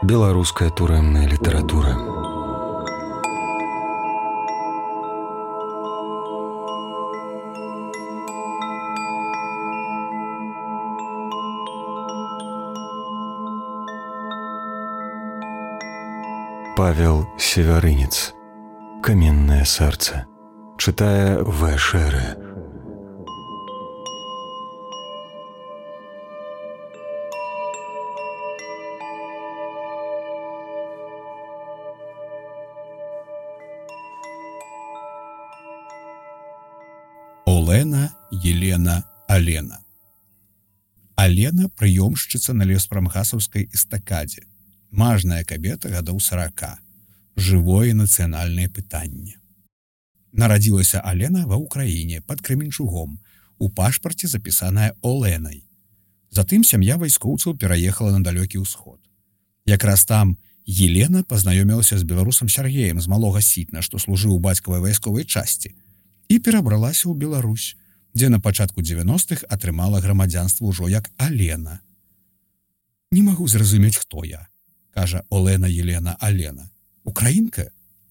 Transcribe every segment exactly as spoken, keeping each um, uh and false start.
Беларуская турэмная літаратура. Павел Севярынец. Каменное сердце. Читая В. Шере. Олена Елена Алена. Алена – прыёмшчыца на леспрамгасаўскай эстакадзе. Мажная кабета гадоў сарака. Жывое нацыянальнае пытанне. Нарадзілася Алена ва ўкраіне пад Крэменчугом. У пашпарце запісаная Оленай. Затым сям'я вайскоўцаў пераехала на далёкі ўсход. Якраз там Елена пазнаёмілася з беларусам Сяргеем з Малога Сітна, што служыў у бацькавай вайсковай часці, і перабралася ў Беларусь, дзе на пачатку дзевяностых атрымала грамадзянства ўжо як Алена. «Не магу зразумець, хто я», кажа Олена Елена Алена. «Украінка?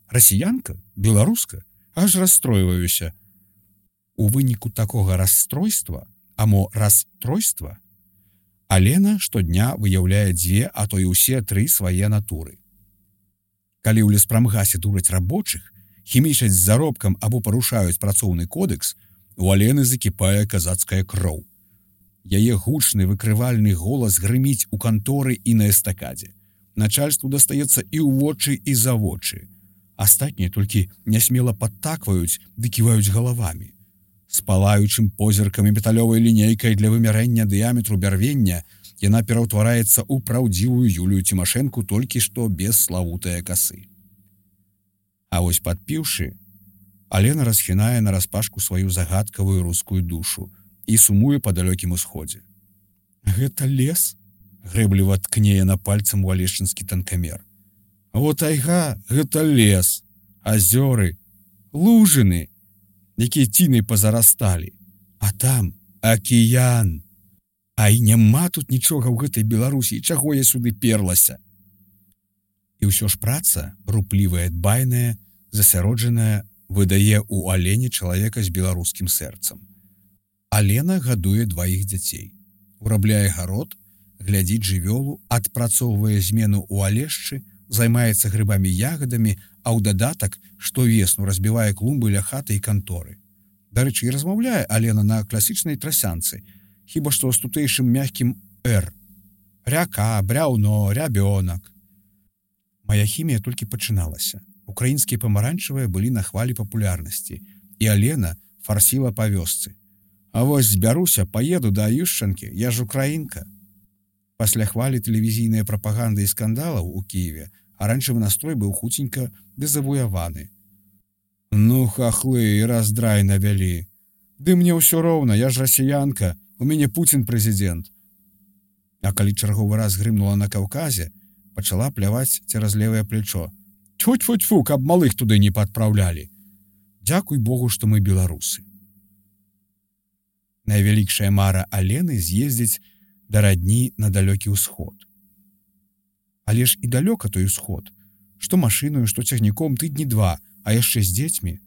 Расіянка? Беларуска? Аж расстройваюся». У выніку такога расстройства, а мо расстройства, Алена штодня выяўляе дзве, а то і ўсе тры свае натуры. Калі ў леспрамгасе дураць рабочых, хімічаць з заробкам або парушаюць працоўны кодекс, у Алены закіпае казацкая кроў. Яе гучны выкрывальны голас грыміць у канторы і на эстакадзе. Начальству дастаецца і ў вочы, і за вочы. Астатнія толькі нясмела падтакваюць ды ківаюць галавамі. З палаючым позіркам і металёвай лінейкай для вымярэння дыяметру бярвення яна пераўтвараецца ў праўдзівую Юлію Цімашэнку толькі што без славутае касы. А вось падпіўшы, Алена расхінае нараспашку сваю загадкавую рускую душу і сумуе па далёкім усходзе. «Гэта лес?» — грэбліва ткне яна пальцам у алешчынскі танкамер. «Вот айга, гэта лес, азёры, лужыны, якія цінай пазарасталі, а там акіян. А і няма тут нічога ў гэтай Беларусі, чаго я сюды перлася?» І ўсё ж праца, руплівая, дбайная, засяроджаная, выдае ў Алене чалавека з беларускім сэрцам. Алена гадуе дваіх дзяцей, урабляе гарод, глядзіць жывёлу, адпрацоўвае змену ў алешчы, займаецца грыбамі-ягадамі, а ў дадатак штовесну разбівае клумбы ля хаты і канторы. Дарэчы, і размаўляе Алена на класічнай трасянцы, хіба што з тутэйшым мяккім «р». Ряка, бряўно, рябёнак. Мая хімія толькі пачыналася. Украінскія памаранчавыя былі на хвалі папулярнасці, і Алена фарсіла па вёсцы. А вось збяруся, паеду да Ющанкі, я ж украінка. Пасля хвалі тэлевізійнай прапаганды і скандалаў у Кіеве аранжавы настрой быў хуценька дэзавуяваны. «Ну, хахлы, і раздрай навялі. Ды мне ўсё роўна, я ж расіянка, у мяне Пуцін прэзідэнт». А калі чарговы раз грымнула на Каўказе, пачала пляваць цераз левае плечо. «Тьфу-тьфу-тьфу, каб малых туды не падпраўлялі. Дзякуй Богу, што мы беларусы». Найвялікшая мара Алены з'ездзіць да радні на далёкі ўсход. Але ж і далёка той усход. Што машыною, што цягніком тыдні два, а яшчэ з дзецьмі.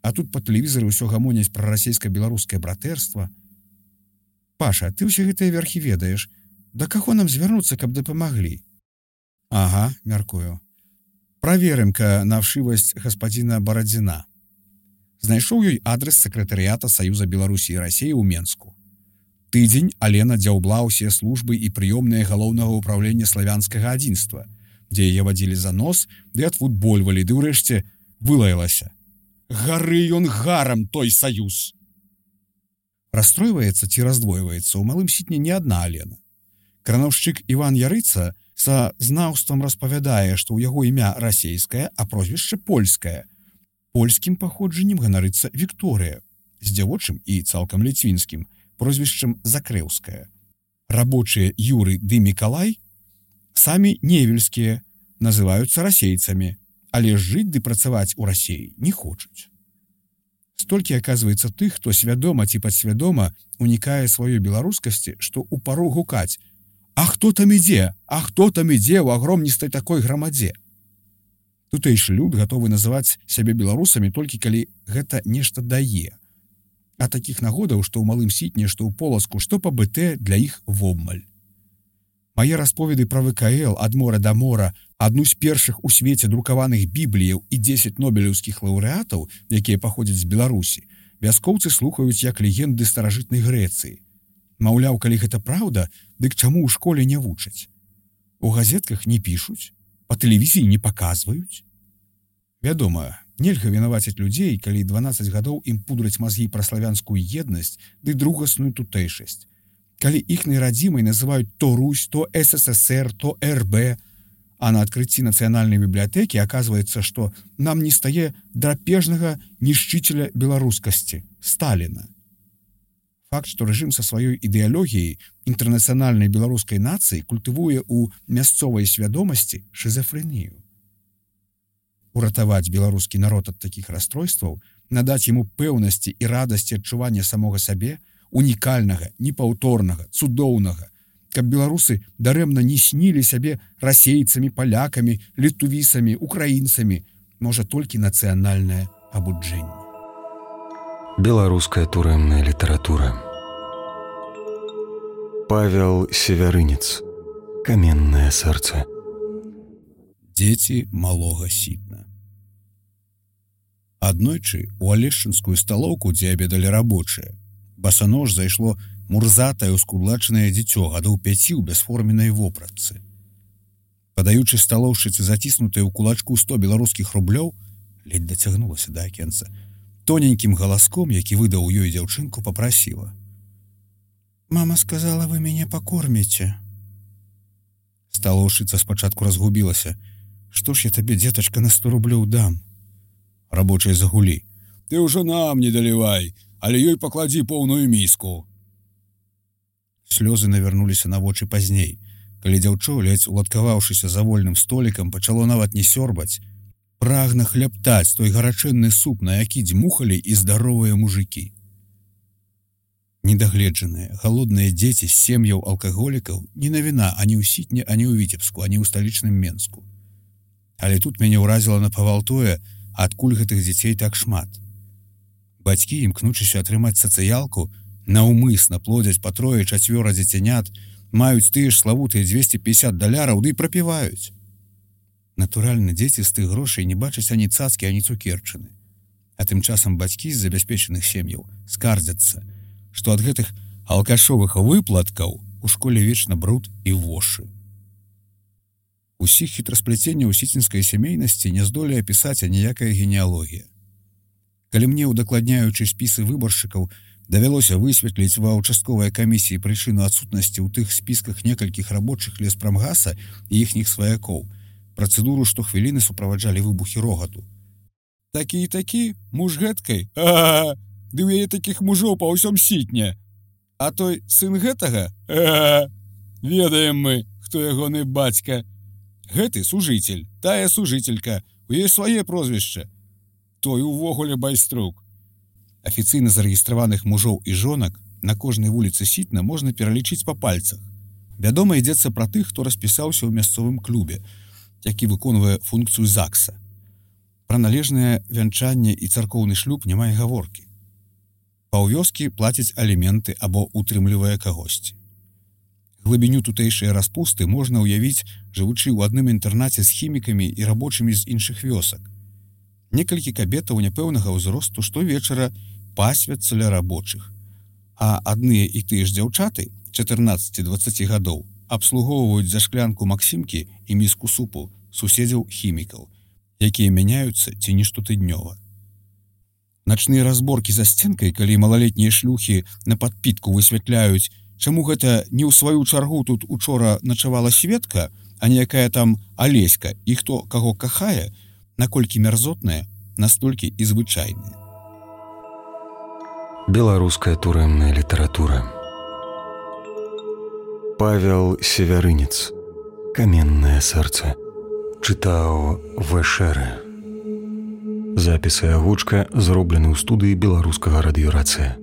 А тут па тэлевізары ўсё гамоняць пра расійска-беларускае братэрства. «Паша, ты ўсе гэтыя верхі ведаеш. Да каго нам звярнуцца, каб дапамаглі?» «Ага, мяркую. Праверым-ка на вшивасць гаспадзіна Барадзіна». Знайшоў ёй адрес сакратарыята Саюза Беларусі і Расіі ў Менску. Тыдзень Алена дзяўбла ўсе службы і прыёмныя галоўнага ўправлення славянскага адзінства, дзе яе вадзілі за нос, ды адфутбольвалі, ды ўрэшце вылаялася. «Гары ён гарам, той Саюз!» Расстройваецца ці раздвойваецца ў Малым Сітне не адна Алена. Кранаўшчык Іван Ярыца са знаўствам распавядае, што ў яго імя расейскае, а прозвішча польскае. Польскім паходжаннем ганарыцца Вікторыя, з дзявочым і цалкам ліцвінскім прозвішчам Закрэўская. Рабочыя Юры ды Мікалай, самі невельскія, называюцца расейцамі, але жыць ды працаваць у Расіі не хочуць. Столькі, аказваецца, тых, хто свядома ці падсвядома унікае сваёй беларускасці, што ў пару гукаць А хто там ідзе? А хто там ідзе ў агромністай такой грамадзе? Тутэйшы люд гатовы называць сябе беларусамі толькі калі гэта нешта дае. А такіх нагодаў, што ў малым сітне, што ў поласку, што па БТ для іх вобмаль. Мае расповеды пра ВКЛ ад мора да мора, адну з першых у свеце друкаваных бібліяў і дзесяць нобелеўскіх лаўрэатаў, якія паходзяць з Беларусі, вяскоўцы слухаюць як легенды старажытнай Грэцыі. Маўляў, калі гэта праўда, дык чаму ў школе не вучаць? У газетках не пішуць, па тэлевізіі не паказваюць. Вядома, нельга вінаваціць людзей, калі дванаццаць гадоў ім пудраць мазгі пра славянскую еднасць ды другасную тутэйшасць. Калі іхнай радзімай называюць то Русь, то СССР, то РБ, а на адкрыцці нацыянальнай бібліятэкі аказваецца, што нам не стае драпежнага нішчыцеля беларускасці Сталіна. Факт, што рэжым са сваёй ідэалогіяй інтэрнацыянальнай беларускай нацыі культывуе ў мясцовай свядомасці шызафрэнію. Уратаваць беларускі народ ад такіх расстройстваў, надаць яму пэўнасці і радасці адчування самога сабе, унікальнага, непаўторнага, цудоўнага, каб беларусы дарэмна не снілі сябе расейцамі, палякамі, літувісамі, украінцамі, можа толькі нацыянальнае абуджэнне. Беларуская турэмная літаратура. Павел Севярынец. Каменнае сэрца. Дзеці малога сітна. Аднойчы у алешчынскую сталоўку, дзе абедалі рабочыя, басанож зайшло мурзатае ўскудлачанае дзіцё гадоў пяці ў бясформеннай вопратцы. Падаючы сталоўшчыцы заціснутыя ў кулачку сто беларускіх рублёў, ледзь дацягнулася да акенца, тоненькім галаском, які выдаў ёй дзяўчынку, папрасіла: «Мама сказала, вы мяне пакорміце». Сталоўшчыца спачатку разгубілася. «Што ж я табе, дзетачка, на сто рублёў дам?» Рабочыя загулі: «Ты ўжо нам не далівай, але ёй пакладзі поўную міску». Слёзы навярнуліся на вочы пазней, калі дзяўчо, ледзь уладкаваўшыся за вольным столікам, пачало нават не сёрбаць, прагна хлябтаць той гарачэнны суп, на які дзьмухалі і здаровыя мужыкі. Недагледжаныя, галодныя дзеці з сем'яў алкаголікаў не навіна ані ў Сітне, ані ў Віцебску, ані ў сталічным Менску. Але тут мяне ўразіла напавал тое, адкуль гэтых дзяцей так шмат. Бацькі, імкнучыся атрымаць сацыялку, наўмысна плодзяць па трое-чацвёра дзіцянят, маюць тыя ж славутыя дзвесце пятьдесят даляраў, ды і прапіваюць. Натуральна, дзеці з тых грошай не бачаць ані цацкі, ані цукерчыны. А тым часам бацькі з забяспечаных сем'яў скардзяцца, што ад гэтых алкашовых выплаткаў у школе вечна бруд і вошы. Усіх хітрасплеценняў сіцінскай сямейнасці не здолее апісаць аніякая генеалогія. Калі мне, удакладняючы спісы выбаршчыкаў, давялося высветліць ва ўчастковай камісіі прычыну адсутнасці ў тых спісках некалькіх рабочых леспрамгаса і іхніх сваякоў, працэдуру штохвіліны суправаджалі выбухі рогату. «Такі і такі, муж гэткай? А-а-а! Ды ў яе такіх мужоў па ўсём Сітне! А той сын гэтага? А-а-а! Ведаем мы, хто ягоны бацька. Гэты сужыцель, тая сужыцелька, у яе свае прозвішча. Той увогуле байструк». Афіцыйна зарэгістраваных мужоў і жонак на кожнай вуліцы Сітна можна пералічыць па пальцах. Вядома, ідзецца пра тых, хто распісаўся ў мясцовым клубе, які выконвае функцыю ЗАГСа. Пра належнае вянчанне і царкоўны шлюб няма і гаворкі. Паўвёскі плацяць аліменты або утрымлівае кагосьці. Глыбіню тутэйшыя распусты можна ўявіць, жывучы ў адным інтэрнаце з хімікамі і рабочымі з іншых вёсак. Некалькі кабетаў няпэўнага ўзросту штовечара пасвяцца ля рабочых, а адныя і тыя ж дзяўчаты чатырнаццаці-дваццаці гадоў абслугоўваюць за шклянку Максімкі і міску супу суседзяў-хімікаў, якія мяняюцца ці не штотыднёва. Начныя разборкі за сценкай, калі малалетнія шлюхі на падпітку высвятляюць, чаму гэта не ў сваю чаргу тут учора начавала Светка, а не якая там Алеська, і хто каго кахае, наколькі мярзотная, настолькі і звычайная. Беларуская турэмная літаратура. Павел Севярынец. Каменнае сэрца. Чытаў Вэшэрэ. Запіс і агучка зроблены ў студыі беларускага радыёрацыя.